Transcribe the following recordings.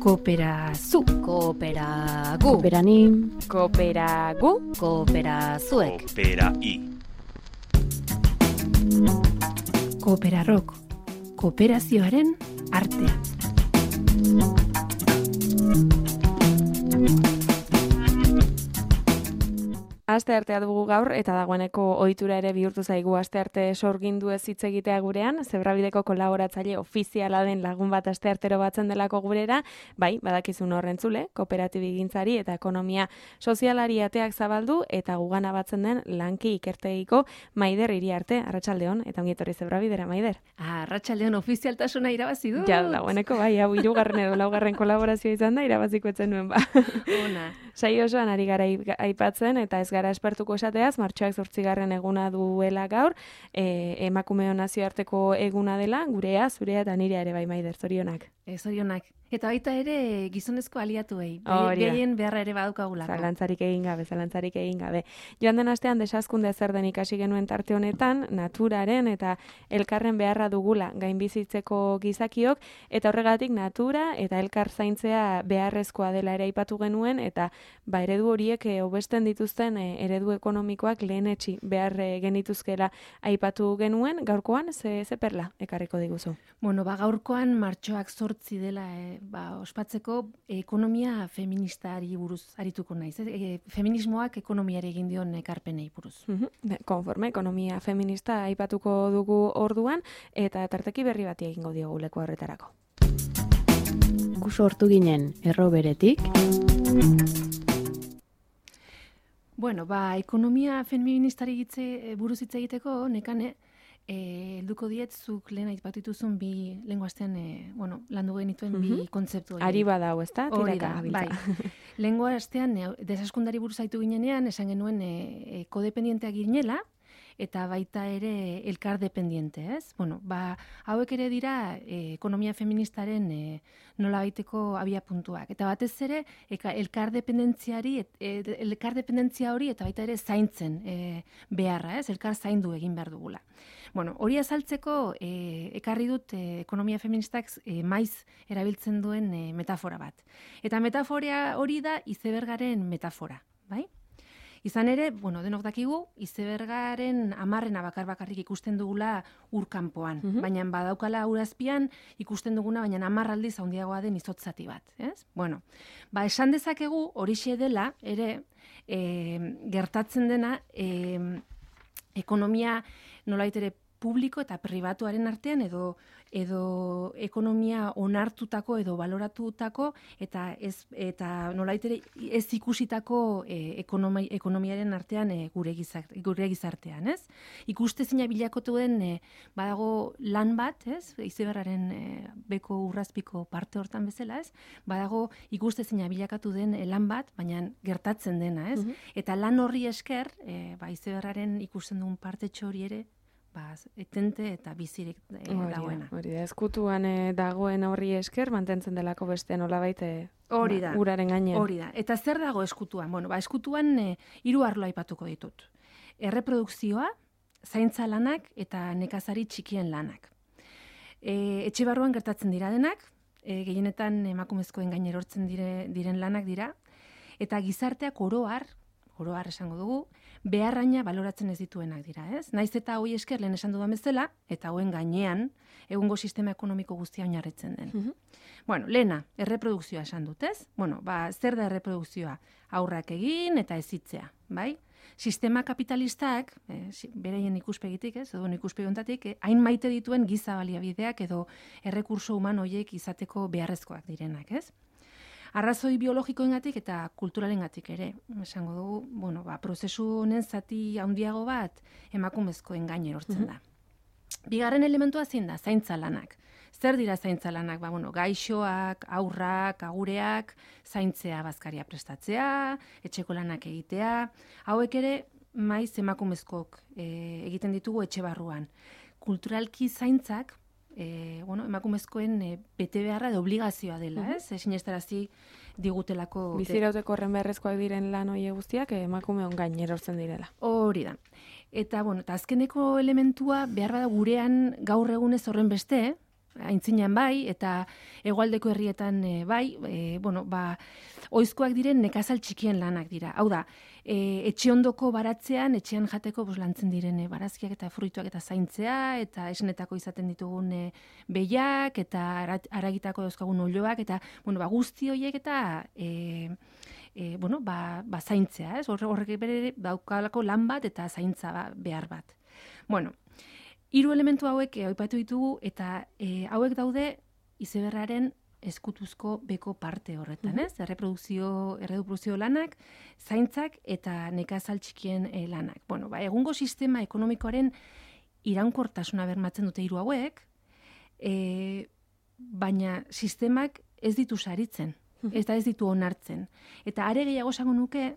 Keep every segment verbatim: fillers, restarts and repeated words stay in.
Kooperazu, kooperagu, Kooperanim, kooperagu, kooperazuek, Koopera-i. Kooperarrok, kooperazioaren artea. Asteartea dugu gaur eta dagoeneko ohitura ere bihurtu zaigu astearte sorgindu ez hitz egitea gurean, Zebrabideko kolaboratzaile ofiziala den lagun bat asteartero batzen delako gurera, bai, badakizun horrentzule, kooperatibigintzari eta ekonomia sozialari ateak zabaldu eta gugana batzen den lanki ikertegiko Maider Iriarte, arratsaldeon eta ongi etorri Zebrabidera, Maider. Arratsaldeon ofizialtasuna irabazi du. Ja, dagoeneko bai, hau hirugarren edo laugarren kolaborazioa izan da, irabaziko etzen nuen ba. Ona. Saio osoan ari gara aipatzen eta ez gara espertuko esateaz, martxoak zortzigarren eguna duela gaur, e, emakumeon nazioarteko eguna dela, gurea, zurea eta nirea ere bai, Maider, zorionak. E, zorionak. Eta baita ere gizonezko aliatuei. Hori da. Gehien beharra ere badukagulako. Zalantzarik egin gabe, zalantzarik egin gabe. Joan den astean desazkunde zer den ikasi genuen tarte honetan, naturaren eta elkarren beharra dugula gainbizitzeko gizakiok, eta horregatik natura eta elkar zaintzea beharrezkoa dela ere aipatu genuen, eta ba eredu horiek e, hobesten dituzten e, eredu ekonomikoak lehenetsi behar e, genituzkela aipatu genuen, gaurkoan ze, ze perla ekarriko diguzu. Bueno, ba gaurkoan martxoak zortzi dela e, ba, ospatzeko ekonomia feministari buruz arituko naiz. E, feminismoak ekonomiari egin dion ekarpenei buruz. Uh-huh. Konforme, ekonomia feminista aipatuko dugu orduan, eta tarteki berri bati egingo diogu leku horretarako. gu sortu ginen erro beretik. Bueno, ba, ekonomia feministari gitze, buruz hitz egiteko, nekane, Eh, helduko diet zuk lehen aipatu dituzun bi lenguastean eh, bueno, landu genituen bi Mhm. kontzeptu hori. Ari badau, ezta? Hori Tiraka da, gabiltza. bai. Lehengo astean eh, desaskundari buruz aitu ginenean esan genuen eh, eh, kodependienteak ginela eta baita ere elkar dependiente, ez? Bueno, ba, hauek ere dira eh, ekonomia feministaren eh, nolabaiteko abia puntuak. Eta batez ere eka, elkar dependentziari et, et, elkar dependentzia hori eta baita ere zaintzen eh, beharra, ez? Elkar zaindu egin behar dugula. Bueno, hori azaltzeko eh, ekarri dut eh, ekonomia feministak eh, maiz erabiltzen duen eh, metafora bat. Eta metafora hori da izebergaren metafora, bai? Izan ere, bueno, denok dakigu, izebergaren amarrena bakar-bakarrik ikusten dugula urkanpoan. Mhm. Baina badaukala urazpian ikusten duguna, baina hamar aldiz handiagoa den izotzati bat. Ez? Bueno, ba, esan dezakegu horixe dela, ere, e, gertatzen dena, e, ekonomia nolait ere publiko eta pribatuaren artean edo edo ekonomia onartutako edo baloratutako eta ez eta nolait ere ez ikusitako e, ekonomi, ekonomiaren artean e, gure gizart, gure gizartean, ez? Ikustezina bilakotu den e, badago lan bat, ez? Izebergaren e, beko urrazpiko parte hortan bezala, ez? Badago ikustezina bilakatu den e, lan bat, baina gertatzen dena, ez? Mhm. Eta lan horri esker, e, ba izebergaren ikusten dugun partetxo hori ere ba, etente eta bizirik e, dagoena. Hori da, eskutuan e, dagoen horri esker, mantentzen delako beste nolabait e, Hori da. ba, uraren gainean. Hori da. Eta zer dago eskutuan? Bueno, ba, eskutuan e, hiru arlo aipatuko ditut. Erreprodukzioa, zaintza lanak eta nekazari txikien lanak. E, etxe barruan gertatzen dira denak, e, gehienetan emakumezkoen gain erortzen dire, diren lanak dira, eta gizarteak oroar, oroar esango dugu, beharraina baloratzen ez dituenak dira, ez? Naiz eta hoi esker lehen esan dudan bezala, eta hoen gainean, egungo sistema ekonomiko guztia oinarritzen den. Mhm. Bueno, lehena, erreprodukzioa esan dut, ez? Bueno, ba, zer da erreprodukzioa? Aurrak egin eta ezitzea, bai? Sistema kapitalistak, eh, bereien ikuspegitik, ez? Edo ikuspegi honetatik, eh, hain maite dituen giza baliabideak edo errekurso human horiek izateko beharrezkoak direnak, ez? Arrazoi biologikoengatik eta kulturalengatik ere, esango dugu, bueno, ba, prozesu honen zati handiago bat emakumezkoen gain erortzen da. Bigarren elementua zein da, zaintza lanak. Zer dira zaintza lanak? Ba, bueno, gaixoak, aurrak, agureak, zaintzea bazkaria prestatzea, etxeko lanak egitea, hauek ere maiz emakumezkok e, egiten ditugu etxe barruan. Kulturalki zaintzak, E, bueno, emakumezkoen e, bete beharra de obligazioa dela, ez? E, sinestarazi digutelako... Bizirauteko horren beharrezkoak diren lan hoie guztiak emakumeon gain erortzen direla. Hori da. Eta, bueno, eta azkeneko elementua behar bada gurean gaur egunez horren beste, aintzinean bai, eta hegoaldeko herrietan e, bai, e, bueno, ba, oizkoak diren nekazal txikien lanak dira. Hau da, e, etxe ondoko baratzean, etxean jateko bos, lantzen diren e, barazkiak eta fruituak eta zaintzea, eta esnetako izaten ditugun e, behiak, eta aragitako dauzkagun olioak, eta bueno, ba, guzti horiek eta e, e, bueno, ba, ba, zaintzea, ez? Horrek bere daukalako lan bat eta zaintza ba, behar bat. Bueno, hiru elementu hauek e, aipatu ditugu, eta e, hauek daude izeberraren eskutuzko beko parte horretan, ez? Erreprodukzio, erreprodukzio lanak, zaintzak eta nekazal txikien e, lanak. Bueno, ba, egungo sistema ekonomikoaren iraunkortasuna bermatzen dute hiru hauek, e, baina sistemak ez ditu saritzen, eta ez ditu onartzen. Eta are gehiago esango nuke,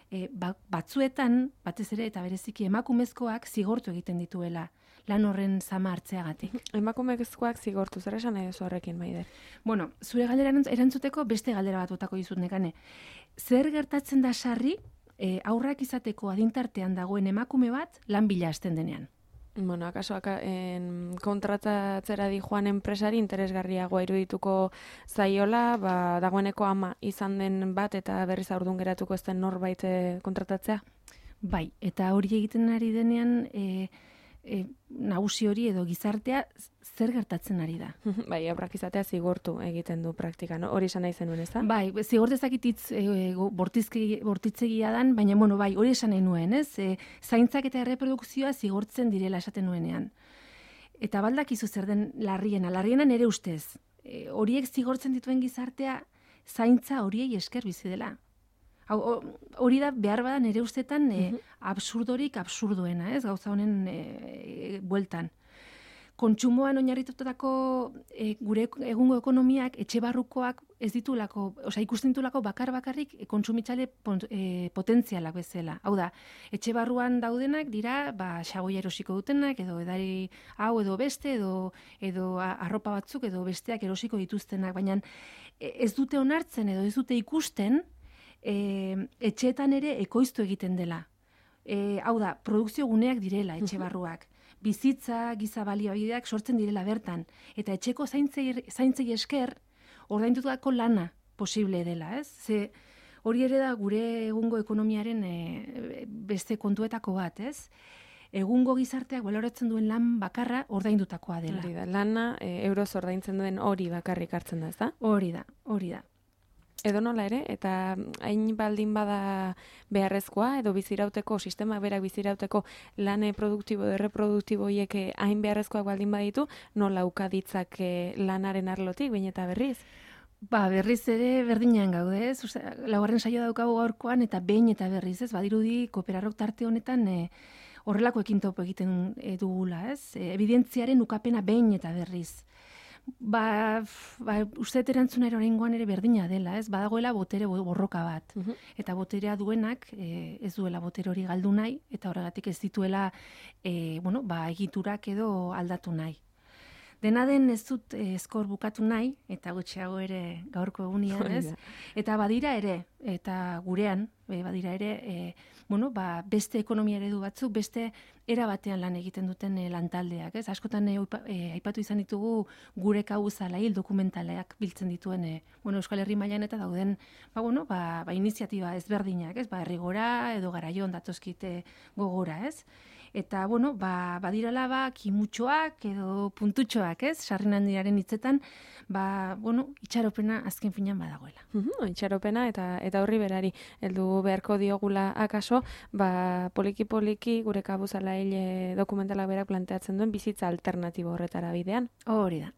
e, batzuetan, batez ere eta bereziki emakumezkoak zigortu egiten dituela lan horren zama hartzeagatik. Emakumezkoak zigortu, zer esan nahi duzu horrekin, Maider? Bueno, zure galdera erantzuteko beste galdera bat botako dizut nekane. Zer gertatzen da sarri, e, aurrak izateko adintartean dagoen emakume bat lan bila hasten denean? Bueno, akaso aka, en, kontratatzera di joan enpresari interesgarriagoa irudituko zaiola, ba, dagoeneko ama izan den bat eta berriz aurdun geratuko ez den norbait kontratatzea? Bai, eta hori egiten ari denean e, e, nagusi hori edo gizartea zer gertatzen ari da. Bai, aurrak izatea zigortu egiten du praktika, no? Hori esan nahi zenuen, ez da? Bai, zigortezakit hitz e, bortitzegia dan, baina bueno, bai, hori esan nahi nuen, ez? E, zaintzak eta erreprodukzioa zigortzen direla esaten nuenean. Eta baldakizu zer den larriena, larriena nere ustez. E, horiek zigortzen dituen gizartea zaintza horiei esker bizi dela. Hori da behar bada nere ustetan e, absurdorik absurduena, ez? Gauza honen e, e, bueltan. Kontsumoan oinarritutako e, gure egungo ekonomiak, etxe barrukoak ez ditulako, osea ikusten ditulako bakar bakarrik kontsumitzale e, potentzialak bezala. Hau da, etxe barruan daudenak dira, ba xagoia erosiko dutenak edo edari hau edo beste edo edo arropa batzuk edo besteak erosiko dituztenak, baina ez dute onartzen edo ez dute ikusten E, etxeetan ere ekoiztu egiten dela. E, hau da, produkzio guneak direla etxe barruak. Bizitza, giza baliobideak sortzen direla bertan. Eta etxeko zaintzei, zaintzei esker ordaindutako lana posible dela, ez? Ze hori ere da gure egungo ekonomiaren e, beste kontuetako bat, ez? Egungo gizarteak baloratzen duen lan bakarra ordaindutakoa dela. Hori da, lana e, euroz ordaintzen duen hori bakarrik hartzen da, ez da? Hori da, hori da. Edo nola ere, eta hain baldin bada beharrezkoa, edo bizirauteko, sistema berak bizirauteko lane produktibo edo erreproduktibo hiek hain beharrezkoak baldin baditu, nola ukaditzak lanaren arlotik, baina eta berriz? Ba, berriz ere berdinean gaude, ez? Osea, laugarren saio daukagu gaurkoan eta behin eta berriz, ez? Badirudi Kooperarrok tarte honetan e, horrelako ekin topo egiten e, dugula, ez? E, evidentziaren ukapena behin eta berriz. Ba, ba uste erantzuna oraingoan ere berdina dela, ez? Badagoela botere borroka bat. Uh-huh. Eta boterea duenak e, ez duela botere hori galdu nahi, eta horregatik ez dituela e, bueno, ba, egiturak edo aldatu nahi. Dena den ez dut e, eskor bukatu nahi, eta gutxiago ere gaurko egunean, ez? Eta badira ere, eta gurean, e, badira ere, e, bueno, ba, beste ekonomia eredu batzuk, beste era batean lan egiten duten e, lantaldeak, ez? Askotan e, e, aipatu izan ditugu gure kauzala hil dokumentaleak biltzen dituen e, bueno, Euskal Herri mailan eta dauden, ba, bueno, ba, ba, iniziatiba ezberdinak, ez? Ba, Herrigora edo Garaion datozkite gogora, ez? Eta, bueno, ba, badirala, ba, kimutxoak edo puntutxoak, ez? Sarri Handiaren hitzetan, ba, bueno, itxaropena azken finan badagoela. Uh-huh, itxaropena eta eta horri berari heldu beharko diogula akaso, ba, poliki-poliki gure kabuzala hile dokumentala berak planteatzen duen bizitza alternatibo horretara bidean. Hori da.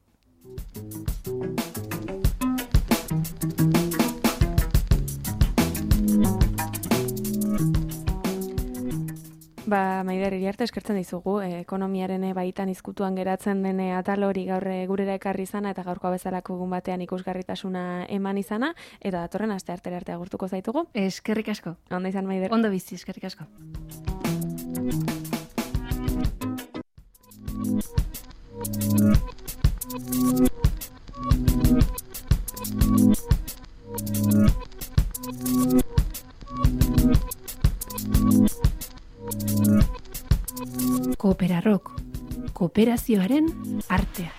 Ba, Maider, Iriarte eskertzen dizugu, eh, ekonomiaren baitan izkutuan geratzen dene atal hori gaur gurera ekarri izana eta gaurkoa bezalako egun batean ikusgarritasuna eman izana, eta datorren aste artera arte agurtuko zaitugu. Eskerrik asko. Ondo izan, Maider. Ondo bizi, eskerrik asko. Kooperarrok, kooperazioaren artea.